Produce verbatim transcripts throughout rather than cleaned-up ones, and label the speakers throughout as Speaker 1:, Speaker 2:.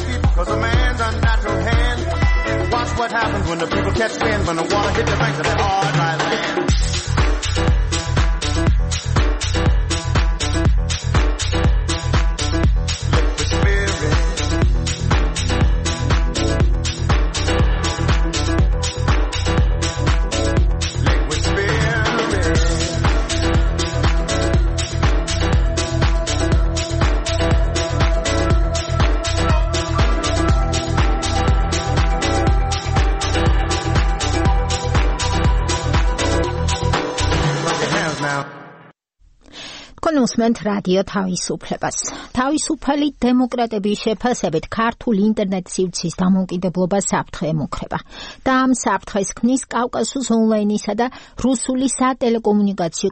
Speaker 1: sleep because a man's unnatural hand. Watch what happens when the people catch wind, when the water hits the banks of that hard, dry land.
Speaker 2: კონუსმენტ რადიო თავისუფლებას. თავისუფალი დემოკრატების შეფასებით ქართულ ინტერნეტ სივრცის დამოუკიდებლობა საფრთხე ემუქრება და ამ საფრთხეს ქმნის კავკასიის ონლაინისა და რუსული სატელეკომუნიკაციო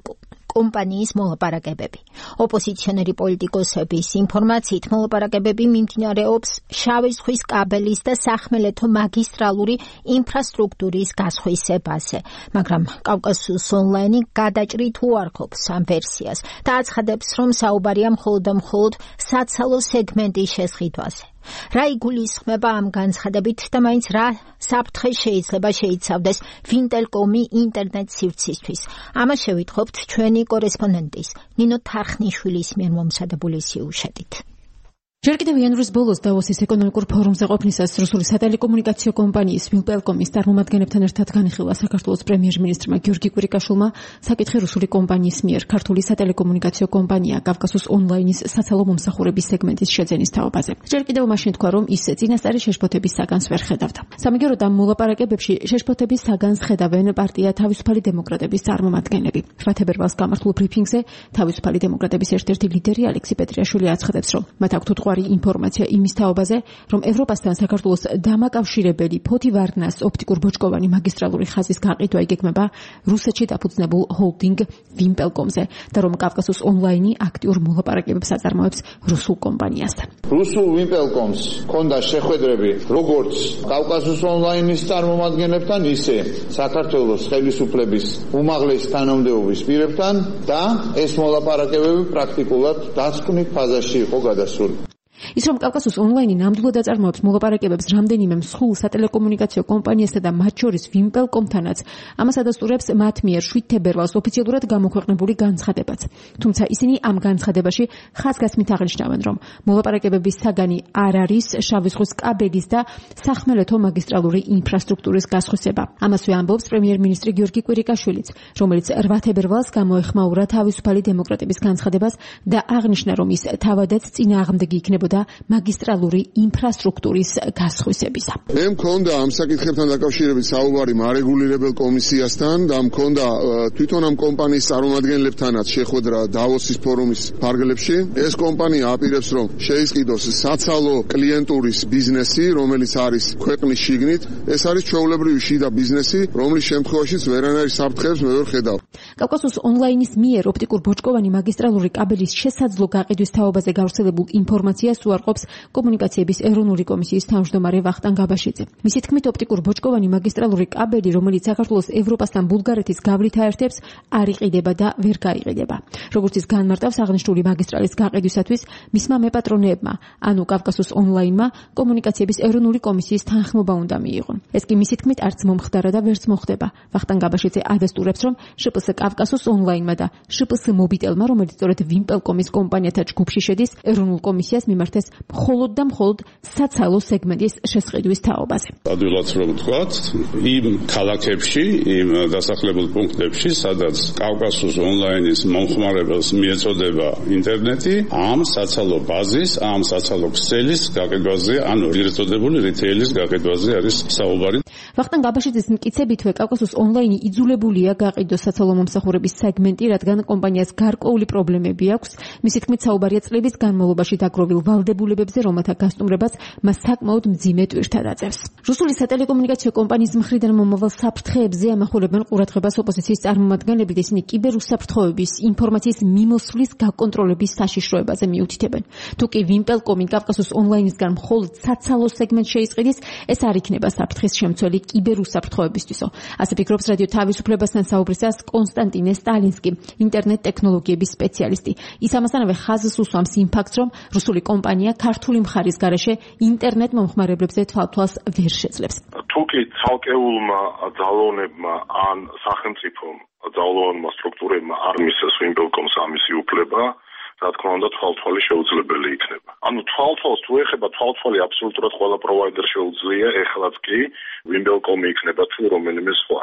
Speaker 2: კომპანიის მოლაპარაკებები. ოპოზიციონერი პოლიტიკოსების ინფორმაციით მოლაპარაკებები მიმდინარეობს შავი ზღვის კაბელის და სახმელეთო მაგისტრალური ინფრასტრუქტურის გასხვისებაზე, მაგრამ კავკასიის ონლაინი გადაჭრით უარყოფს ამ ვერსიას და აცხადებს, რომ საუბარია მხოლოდ და მხოლოდ საცალო სეგმენტის შესყიდვაზე. რა იგულისხმება ამ განცხადებით და მაინც რა საფრთხე შეიძლება შეიცავდეს ვინტელკომი ინტერნეტ სივრცისთვის? ამას შევიტყობთ ჩვენი კორესპონდენტის ნინო თარხნიშვილის მიერ მომზადებული სიუჟეტით.
Speaker 3: ჯერ კიდევ იანვრის ბოლოს დავოსის ეკონომიკურ ფორუმზე ყოფნისას რუსული სატელეკომუნიკაციო კომპანიის ვილპელკომის წარმომადგენლებთან ერთად განიხილა საქართველოს პრემიერ-მინისტრმა გიორგი კვირიკაშვილმა საკითხი რუსული კომპანიის მიერ ქართული სატელეკომუნიკაციო კომპანია კავკასიის ონლაინის საცალო მომსახურების სეგმენტის შეძენის თაობაზე. ჯერ კიდევ მაშინ თქვა, რომ ის წინასწარი შეშფოთების საგანს ვერ ხედავდა. სამაგიეროდ ამ მოლაპარაკებებში შეშფოთების საგანს ხედავენ პარტია თავისუფალი დემოკრატების წარმომადგენლები. შვიდ თებერვალს გამართულ ბრიფინგზე თავისუფალი დემოკრატების ერთ-ერთი ლიდერი ალექსი პეტრიაშვილი აცხადებს, რომ მათ აქვთ ინფორმაცია იმის თაობაზე, რომ ევროპასთან საქართველოს დამაკავშირებელი ფოთი ვარდნას ოპტიკურ ბოჭკოვანი მაგისტრალური ხაზის გაყიდვა იგეგმება რუსეთში დაფუძნებულ ჰოლდინგ ვიმპელკომზე და რომ კავკასიის ონლაინი აქტიურ მოლაპარაკებებს აწარმოებს რუსულ კომპანიასთან.
Speaker 4: რუსულ ვიმპელკომს ჰქონდა შეხვედრები როგორც კავკასიის ონლაინის წარმომადგენლებთან, ისე საქართველოს ხელისუფლების უმაღლესი თანამდებობის პირებთან და ეს მოლაპარაკებები პრაქტიკულად დასკვნით ფაზაში იყო გადასული.
Speaker 3: ის რომ კავკასიის ონლაინი ნამდვილად აწარმოებს მოლაპარაკებებს რამდენიმე მსხვილ სატელეკომუნიკაციო კომპანიასთან და მათ შორის ვიმპელკომთანაც, ამას ადასტურებს მათ მიერ შვიდ თებერვალს ოფიციალურად გამოქვეყნებული განცხადებაც. თუმცა ისინი ამ განცხადებაში ხაზგასმით აღნიშნავენ, რომ მოლაპარაკებების საგანი არ არის შავი ზღვის კაბელის და სახმელეთო მაგისტრალური ინფრასტრუქტურის გასხვისება. ამასვე ამბობს პრემიერ-მინისტრი გიორგი კვირიკაშვილიც, რომელიც რვა თებერვალს გამოეხმაურა თავისუფალი დემოკრატების განცხადებას და აღნიშნა, რომ ის თავადაც წინააღმდეგი იქნებოდა მაგისტრალური ინფრასტრუქტურის გასხვისებისა.
Speaker 5: მე მქონდა ამ საკითხებთან დაკავშირებით საუბარი მარეგულირებელ კომისიასთან და მქონდა თვითონ ამ კომპანიის წარმომადგენლებთანაც შეხვედრა დავოსის ფორუმის ფარგლებში. ეს კომპანია აპირებს, რომ შეისყიდოს საცალო კლიენტურის ბიზნესი, რომელიც არის ქვეყნის შიგნით. ეს არის ჩვეულებრივი შიდა ბიზნესი, რომლის შემთხვევაშიც ვერანაირ საფრთხეებს მე ვერ ხედავ.
Speaker 3: კავკასიის ონლაინის მიერ ოპტიკურ ბოჭკოვანი მაგისტრალური კაბელის შესაძლო გაყიდვის თაობაზე გავრცელებულ ინფორმაციას უარყოფს კომუნიკაციების ეროვნული კომისიის თავმჯდომარე ვახტანგ აბაშიძე. მისი თქმით, ოპტიკურ ბოჭკოვანი მაგისტრალური კაბელი, რომელიც საქართველოს ევროპასთან ბულგარეთის გავლით აერთებს, არ იყიდება და ვერ გაიყიდება. როგორც ის განმარტავს, აღნიშნული მაგისტრალის გაყიდვისათვის მისმა მეპატრონეებმა, ანუ კავკასიის ონლაინმა, კომუნიკაციების ეროვნული კომისიის თანხმობა უნდა მიიღონ. ეს კი მისი თქმით არც მომხდარა და ვერც მოხდება. ვახტანგ აბაშიძე ადასტურებს, რომ შპს კავკასიის ონლაინმა და შპს მობიტელმა, რომელიც სწორედ ვიმპელკომის კომპანიათა ჯგუფში შედის, ეროვნულ კომისიას მიმართეს მხოლოდ და მხოლოდ საცალო სეგმენტის შესყიდვის თაობაზე.
Speaker 6: ადვილად რომ ვთქვათ, იმ ქალაქებში, იმ დასახლებულ პუნქტებში, სადაც კავკასიის ონლაინის მომხმარებელს მიეწოდება ინტერნეტი, ამ საცალო ბაზის, ამ საცალო ქსელის გაყიდვაზე, ანუ ეგრეთ წოდებული რიტეილის გაყიდვაზე არის საუბარი.
Speaker 3: ვახტანგ აბაშიძის მტკიცებითვე კავკასიის ონლაინი იძულებულია გაყიდოს საცალო მომსახურების სეგმენტი, რადგან კომპანიას გარკვეული პრობლემები აქვს. მისი თქმით, საუბარია წლების განმავლობაში დაგროვილ ვალდებულებებზე, რომელთა გასტუმრებას მას საკმაოდ მძიმე ტვირთად აწევს. რუსული სატელეკომუნიკაციო კომპანიის მხრიდან მომავალ საფრთხეებზე ამახვილებენ ყურადღებას ოპოზიციის წარმომადგენლები და ისინი კიბერუსაფრთხოების ინფორმაციის მიმოსვლის გაკონტროლების საშიშროებაზე მიუთითებენ. თუ კი ვიმპელკომი კავკასიის ონლაინისგან მხოლოდ საცალო სეგმენტს შეისყიდის, ეს არ იქნება საფრთხის შემცველი კიბერუსაფრთხოებისთვისო. ასე ფიქრობს რადიო თავისუფლებასთან საუბრისას კონსტანტინე სტალინსკი, ინტერნეტ ტექნოლოგიების სპეციალისტი. ის ამასთანავე ხაზს უსვამს იმ ფაქტს, რომ რუსული კომპანია ქართული მხარის გარეშე ინტერნეტ მომხმარებლებზე თვალთვალს ვერ შეძლებს.
Speaker 7: თუკი ცალკეულმა ძალოვნებმა ან სახელმწიფომ ძალოვანმა სტრუქტურებმა არ მისცეს ვიმპელკომს ამისი უფლება, რა თქმა უნდა თვალთვალი შეუძლებელი იქნება. ანუ თვალთვალს თუ ეხება თვალთვალი აბსოლუტურად ყველა პროვაიდერ შეუძლია, ეხლაც კი ვიმპელკომი იქნება თუ რომელიმე სხვა.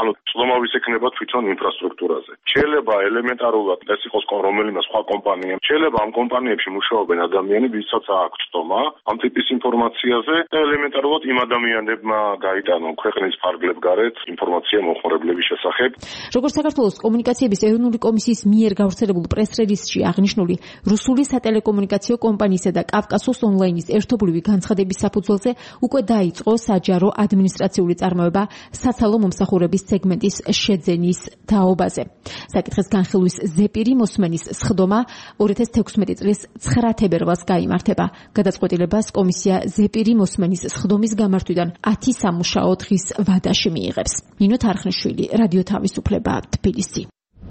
Speaker 7: ანუ ცნობავის ექნება თვითონ ინფრასტრუქტურაზე. შეიძლება ელემენტარულად ეს იყოს რომელიმე სხვა კომპანია. შეიძლება ამ კომპანიებში მუშაობენ ადამიანები, ვისაც აქვს ცდომა ამ ტიპის ინფორმაციაზე და ელემენტარულად იმ ადამიანებმა გაიტანონ ქვეყნის ფარგლებ გარეთ ინფორმაცია მომხმარებლების შესახებ.
Speaker 3: როგორც საქართველოს კომუნიკაციების ეროვნული კომისიის მიერ გავრცელებულ პრეს-რელიზში აღნიშნული, რუსული სატელეკომუნიკაციო კომპანიისა და კავკასოს ონლაინის ერთობლივი განცხადების საფუძველზე უკვე დაიწყო საჯარო ადმინისტრაციული წარმოება საცალო მომსახურების სეგმენტის შეძენის თაობაზე. საკითხის განხილვის ზეპირი მოსმენის სხდომა ორი ათას თექვსმეტი წლის ცხრა თებერვალს გაიმართება. გადაწყვეტილებას კომისია ზეპირი მოსმენის სხდომის გამართვიდან ათი სამუშაო დღის ვადაში მიიღებს. ნინო თარხნიშვილი, რადიო თავისუფლება, თბილისი.